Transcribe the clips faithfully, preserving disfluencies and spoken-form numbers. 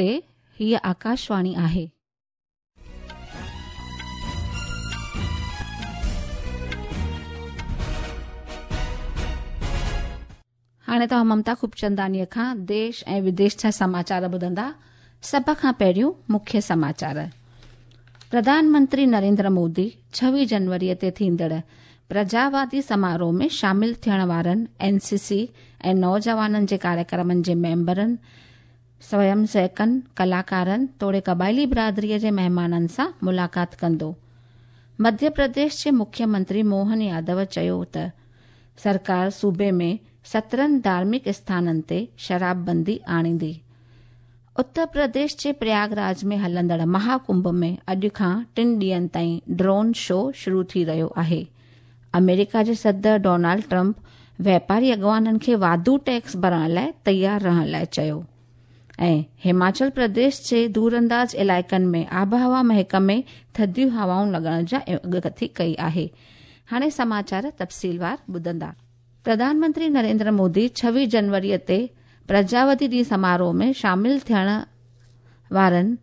نمستي، हीअ आकाशवाणी आहे। हाणे तव्हां ममता खूबचंदानीअ खां देश ऐं विदेश जा समाचार ॿुधंदा। सभ खां पहिरियों मुख्य समाचार। प्रधानमंत्री नरेंद्र मोदी छवीह जनवरीअ ते थींदड़ प्रजावादी समारोह में शामिल थियण वारनि एनसीसी ऐं नौजवाननि जे कार्यक्रमनि जे मेंबरनि, स्वयं सेवकनि, कलाकारनि तोड़े क़बाइली बिरादरीअ जे महिमाननि सां मुलाक़ात कंदो। मध्य प्रदेश जे मुख्यमंत्री मोहन यादव चयो त सरकार सूबे में सत्रहं धार्मिक स्थाननि ते शराबबंदी आणींदी। उत्तर प्रदेश जे प्रयागराज में हलंदड़ महाकुंभ में अॼु खां टिनि ॾींहनि ताईं ड्रोन शो शुरू थी रहियो आहे। अमेरिका जे सदर डोनाल्ड ट्रंप व्यापारी अॻवाननि खे वाधू टैक्स भरण लाइ तयारु रहण लाइ चयो। ऐं हिमाचल प्रदेश जे दूरअंदाज़ इलाइक़नि में आबहवा महकमे थधियूं हवाऊं लॻण जा अॻकथी कई आहे। हाणे समाचार तफ़सीलवार ॿुधंदा। प्रधानमंत्री नरेंद्र मोदी छवीह जनवरीअ ते प्रजावती ॾींहुं समारोह में शामिल थियण वारनि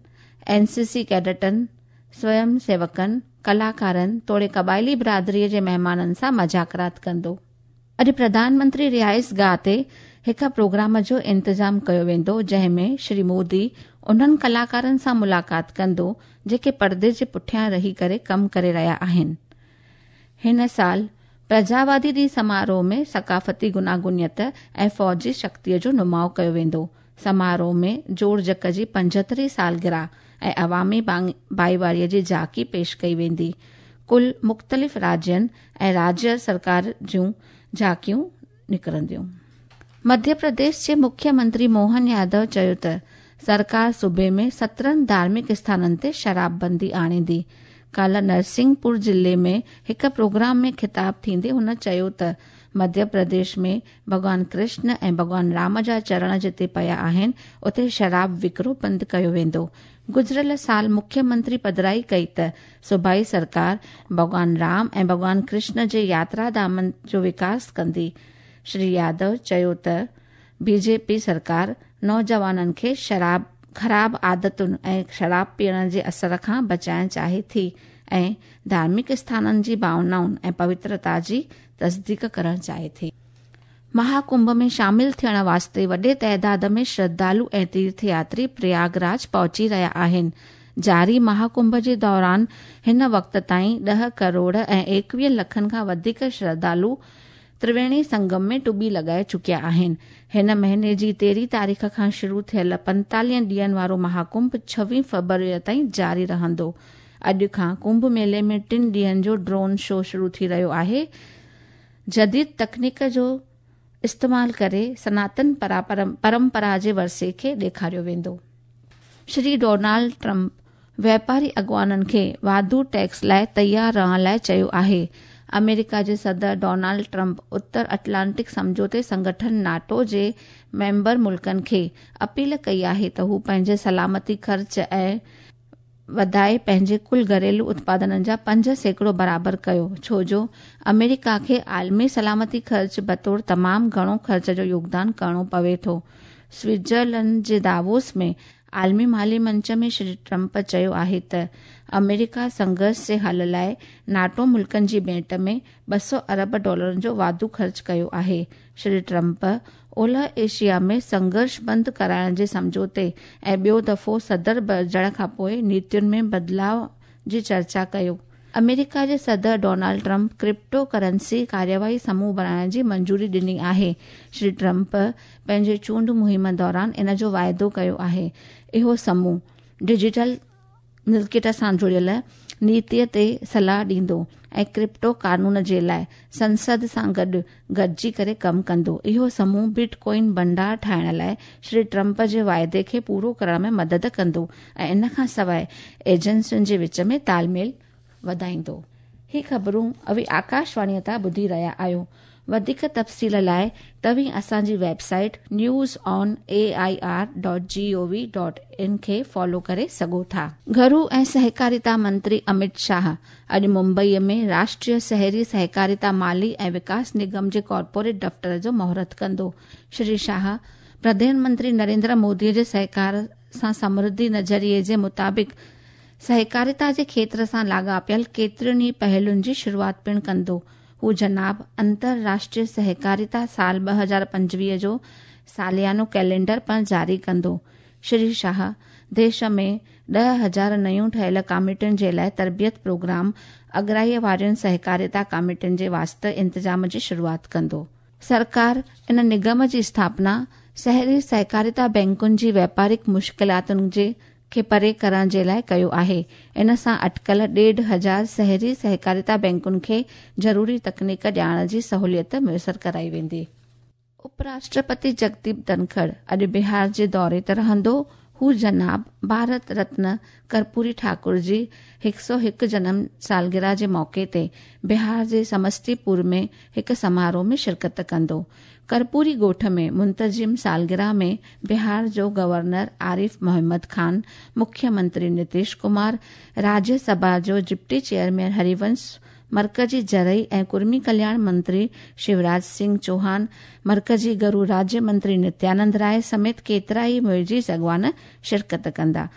एनसीसी कैडेटनि, स्वयं सेवकनि, कलाकारनि तोड़े क़बाइली बिरादरीअ जे महिमाननि सां मज़ाकरात कंदो। अॼु प्रधानमंत्री रिहाइश गाह ते हिकु प्रोग्राम जो इंतज़ाम कयो वेंदो, जंहिं में श्री मोदी उन्हनि कलाकारनि सां मुलाक़ात कंदो जेके परदे जे पुठियां रही करे कमु करे रहिया आहिनि। हिन साल प्रजावादी ॾींहुं समारोह में सकाफ़ती गुनागुनियत ऐं फ़ौजी शक्तिअ जो नुमाउ कयो वेंदो। समारोह में जोड़जक जी पंजहतरीं सालगिरह ऐं अवामी भाईवारीअ जी झांकी पेश कई वेंदी। कुल मुख़्तलिफ़ राज्यनि ऐं राज्य सरकार जूं झांकियूं निकिरंदियूं। मध्य प्रदेश जे मुख्यमंत्री मोहन यादव चयो त सरकार सूबे में सत्रहं धार्मिक स्थाननि ते शराबबंदी आणींदी। काल्ह नरसिंहपुर ज़िले में हिकु प्रोग्राम में ख़िताब थींदे हुन चयो त मध्य प्रदेश में भॻवान कृष्ण ऐं भॻवान राम जा चरण जिते पिया आहिनि, उते शराब विकिरो बंदि कयो वेंदो। गुज़िरियल साल मुख्यमंत्री पधराई कई त सूबाई सरकार भॻवान राम ऐं भॻवान कृष्ण जे यात्रा धामनि जो विकास कंदी। श्री यादव चयो त बीजेपी सरकार नौजवाननि खे शराब ख़राब आदतुनि ऐं शराब पीअण जे असर खां बचाइण चाहे थी ऐं धार्मिक स्थाननि जी भावनाउनि ऐं पवित्रता जी तस्दीक करण चाहे थी। महाकुंभ में शामिल थियण वास्ते वॾे तादाद में श्रद्धालु ऐं तीर्थयात्री प्रयागराज पहुची रहिया आहिनि। जारी महाकुंभ जे दौरान हिन वक़्त ताईं ॾह करोड़ ऐं एकवीह लखनि खां वधीक श्रद्धालु त्रिवेणी संगम में टुॿी लॻाए चुकिया आहिनि। हिन महीने जी तेरहीं तारीख़ खां शुरू थियल पंजतालीह ॾींहनि वारो महाकुंभ छवीह फ़रवरीअ ताईं जारी रहंदो। अॼु खां कुंभ मेले में टिनि ॾींहनि जो ड्रोन शो शुरू थी रहियो आहे। जदीद तकनीक जो इस्तेमाल करे सनातन परंपरा जे वरसे खे ॾेखारियो वेंदो। श्री डोनाल्ड ट्रंप व्यापारी अॻवाननि खे वाधू टैक्स लाइ तयारु रहण लाइ चयो आहे। अमेरिका जे सदर डोनाल्ड ट्रंप उत्तर अटलांटिक सम्झौते संगठन नाटो जे मेंबर मुल्कनि खे अपील कई आहे त हू पंहिंजे सलामती ख़र्च ऐं वधाए पंहिंजे कुल घरेलू उत्पादननि जा पंज सैकड़ो बराबर कयो, छो जो अमेरिका खे आलमी सलामती ख़र्च बतौर तमामु घणो ख़र्च जो योगदान करिणो पवे थो। स्विट्ज़रलैंड जे दावोस में आलमी माली मंच में श्री ट्रंप चयो आहे त अमेरिका संघर्ष जे हल लाइ नाटो मुल्कनि जी भेंट में ॿ सौ अरब डॉलरनि जो वाधू ख़र्च कयो आहे। श्री ट्रंप ओलह एशिया में संघर्ष बंदि कराइण जे सम्झौते ऐं ॿियो दफ़ो सदर बणिजण खां पोइ नीतियुनि में बदिलाव जी चर्चा कयो। अमेरिका जे सदर डोनाल्ड ट्रंप क्रिप्टो करेंसी कार्यवाही समूह बणाइण जी मंजूरी ॾिनी आहे। श्री ट्रंप पंहिंजे चूंड मुहिम दौरान इन जो वाइदो कयो आहे। इहो समूह डिजिटल मिल्कियत सां जुड़ियल नीतीअ ते सलाह ॾींदो ऐं क्रिप्टो कानून जे लाइ संसद सां गॾु गॾिजी करे कमु कंदो। इहो समूह बिटकॉइन भंडार ठाहिण लाइ श्री ट्रंप जे वाइदे खे पूरो करण में मदद कंदो ऐं इन खां सवाइ एजेंसियुनि जे विच में तालमेल वधाईंदो। ही ख़बरूं अवी आकाशवाणीअ तां ॿुधी रहिया आहियो। वधीक तफ़सील लाइ तव्हीं असांजी website news on A I R dot G O V dot in खे फॉलो करे सघो था। घरू ऐं सहकारिता मंत्री अमित शाह अॼु मुंबईअ में राष्ट्रीय शहरी सहकारिता माली ऐं विकास निगम जे कॉर्पोरेट दफ़्तर जो मुहूर्त कंदो। श्री शाह प्रधानमंत्री नरेंद्र मोदीअ जे सहकार सां समृद्धि नज़रिए जे मुताबिक़ सहकारिता जे खेत्र सां लाॻापियल केतिरियुनि ई पहलुनि जी शुरूआत पिणु कंदो। हू जनाब अंतरराष्ट्रीय सहकारिता साल ॿ हज़ार पंजवीह जो सालियानो कैलेंडर पिणु जारी कंदो। श्री शाह देश में ॾह हज़ार नयूं ठहियल कमिटियुनि जे लाइ तरबियत प्रोग्राम अगराईअ वारियुनि सहकारिता कमिटियुनि जे वास्ते इंतज़ाम जी शुरूआत कंदो। सरकार इन निगम जी स्थापना शहरी सहकारिता बैंकुनि जी व्यापारिक मुश्किलातुनि जे खे परे करण जे लाइ कयो आहे। इन सां अटकल ॾेढ हज़ार शहरी सहकारिता बैंकुनि खे ज़रूरी तकनीक ॾियण जी सहूलियत मुयसर कराई वेंदी। उपराष्ट्रपति जगदीप धनखड़ अॼु बिहार जे दौरे ते रहंदो। हू जनाब भारत रत्न कर्पूरी ठाकुर जी हिकु सौ हिकु जनम सालगिरह जे मौक़े ते बिहार जे समस्तीपुर में हिकु समारोह में शिरकत कंदो। कर्पूरी ॻोठ में मुंतज़िम सालगिरह में बिहार जो गवर्नर आरिफ मोहम्मद खान, मुख्यमंत्री नीतीश कुमार, राज्यसभा जो डिप्टी चेयरमैन हरिवंश, मरकजी ज़रई ऐं कुर्मी कल्याण मंत्री शिवराज सिंह चौहान, मरकजी गरू राज्य मंत्री नित्यानंद राय समेत केतिरा ई मुइज़ अॻवान शिरकत कंदा।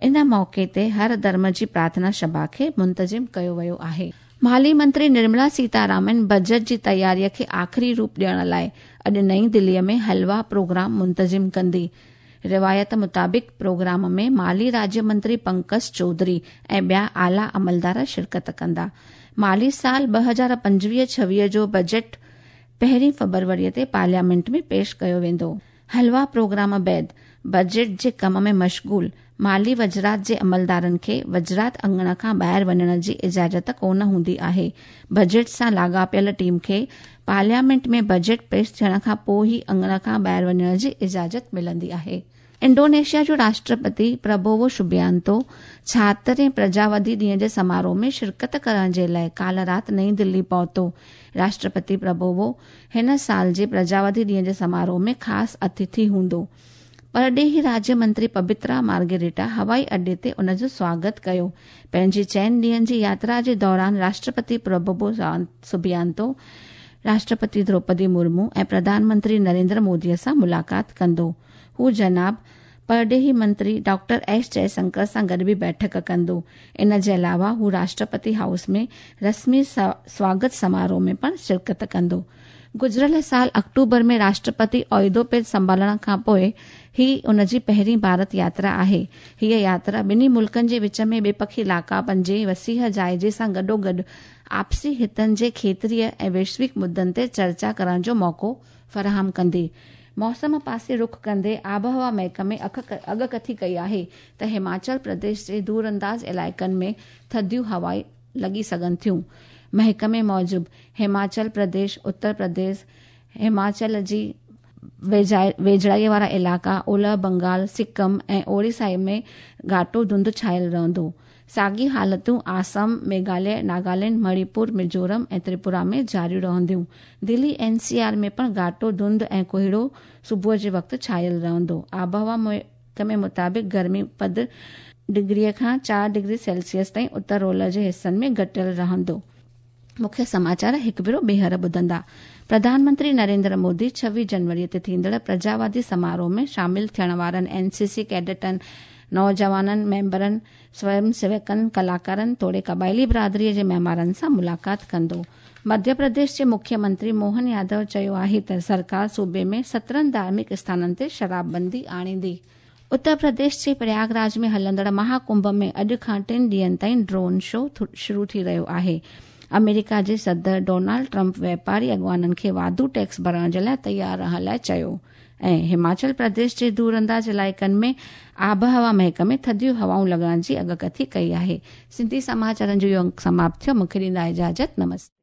इन मौक़े ते हर धर्म जी प्रार्थना सभा खे मुंतज़िम कयो वियो आहे। माली मंत्री निर्मला सीतारामन बजट जी तयारीअ खे आख़िरी रूप ॾियण लाइ अॼु नई दिल्लीअ में हलवा प्रोग्राम मुंतज़िम कंदी। रिवायत मुताबिक़ प्रोग्राम में माली राज्य मंत्री पंकज चौधरी ऐं ॿिया आला अमलदार शिरकत कंदा। माली साल ॿ हज़ार पंजवीह छवीह जो बजट पहिरीं फरवरीअ ते पार्लियामेंट में पेश कयो वेंदो। हलवा प्रोग्राम बाद बजट जे कम में मशगूल माली वज़रात जे अमलदारनि खे वज़रात अंगण खां ॿाहिरि वञण जी इजाज़त कोन हूंदी आहे। बजट सां लाॻापियल टीम खे पार्लियामेंट में बजट पेश थियण खां पोइ ई अंगण खां ॿाहिरि वञण जी इजाज़त मिलंदी आहे। इंडोनेशिया जो राष्ट्रपति प्रबोवो सुबियांतो छाहतरें प्रजावादी ॾींहं जे समारोह में शिरकत करण जे लाइ काल्ह राति नई दिल्ली पहुतो। राष्ट्रपति प्रबोवो हिन साल जे प्रजावादी ॾींहं जे समारोह में ख़ासि अतिथि हूंदो। परॾेही राज्य मंत्री पबित्रा मार्गेरिटा हवाई अड्डे ते उन जो स्वागत कयो। पंहिंजी चइनि ॾींहंनि जी यात्रा जे दौरान राष्ट्रपति प्रबोवो सुबियांतो राष्ट्रपति द्रौपदी मुर्मू ऐं प्रधानमंत्री नरेंद्र मोदीअ सां मुलाक़ात कंदो। हू जनाब परॾेही मंत्री डॉक्टर एस जयशंकर सां गॾु बि बैठक कंदो। इन जे अलावा हू राष्ट्रपति हाउस में रस्मी स्वागत समारोह में पिणु शिरकत कंदो। गुज़िरियल साल अक्टूबर में राष्ट्रपति ओहिदो पेज संभालण खां पोइ ही उन जी पहिरीं भारत यात्रा आहे। हीअ यात्रा ॿिन्ही मुल्कनि जे विच में ॿिपखी लाॻापनि जे वसीह जाइज़े सां गॾोगॾु आपसी हितनि जे खेत्रीय ऐं वैश्विक मुद्दनि ते चर्चा करण जो मौक़ो फराहम कंदी। मौसम पासे रुख कंदे आबहवा महकमे अॻकथी कई आहे त हिमाचल प्रदेश जे दूरअंदाज़ इलाइक़नि में थधियूं हवाऊं लॻी सघनि थियूं। महकमे मूजिबि हिमाचल प्रदेश, उत्तर प्रदेश, हिमाचल जी वेझड़ाईअ वारा इलाइक़ा, ओलह बंगाल, सिक्किम ऐं ओडिशा में घाटो धुंध छायल रहंदो। साॻी हालतूं आसाम, मेघालय, नागालैंड, मणिपुर, मिज़ोरम ऐं त्रिपुरा में जारी रहंदियूं। दिल्ली एन सी आर में पिणु घाटो धुंध ऐं कोहिड़ो सुबुह जे वक़्तु छायल रहंदो। आबहवा महकमे मुताबिक़ गर्मी पद डिग्रीअ खां चारि डिग्री सेल्सियस ताईं उत्तर ओलह जे हिसनि में घटियल रहंदो। मुख्य समाचार हिकु भेरो ॿीहर ॿुधंदा। प्रधानमंत्री नरेंद्र मोदी छवीह जनवरीअ ते थींदड़ प्रजावादी समारोह में शामिल थियण वारनि एन सी सी कैडेटनि, नौजवाननि, मेंबरनि, स्वयं सेवकनि, कलाकारनि तोड़े क़बाइली बिरादरीअ जे महिमाननि सां मुलाक़ात कंदो। मध्य प्रदेश जे मुख्यमंत्री मोहन यादव चयो आहे त सरकार सूबे में सत्रहं धार्मिक स्थाननि ते शराबबंदी आणींदी। उत्तर प्रदेश जे प्रयागराज में हलंदड़ महाकुंभ में अॼु खां टिनि ॾींहंनि ताईं ड्रोन शो शुरू थी रहियो आहे। अमेरिका जे सदर डोनाल्ड ट्रंप व्यापारी अॻवाननि खे वाधू टैक्स भरण जे लाइ तयारु रहण लाइ चयो। ऐं हिमाचल प्रदेश जे दूरअंदाज़ इलाइक़नि में आबहवा महकमे थधियूं हवाऊं लॻण जी अॻकथी कई आहे। सिंधी समाचारनि जो इहो अंक समाप्त थियो। मूंखे ॾींदा इजाज़त। नमस्ते।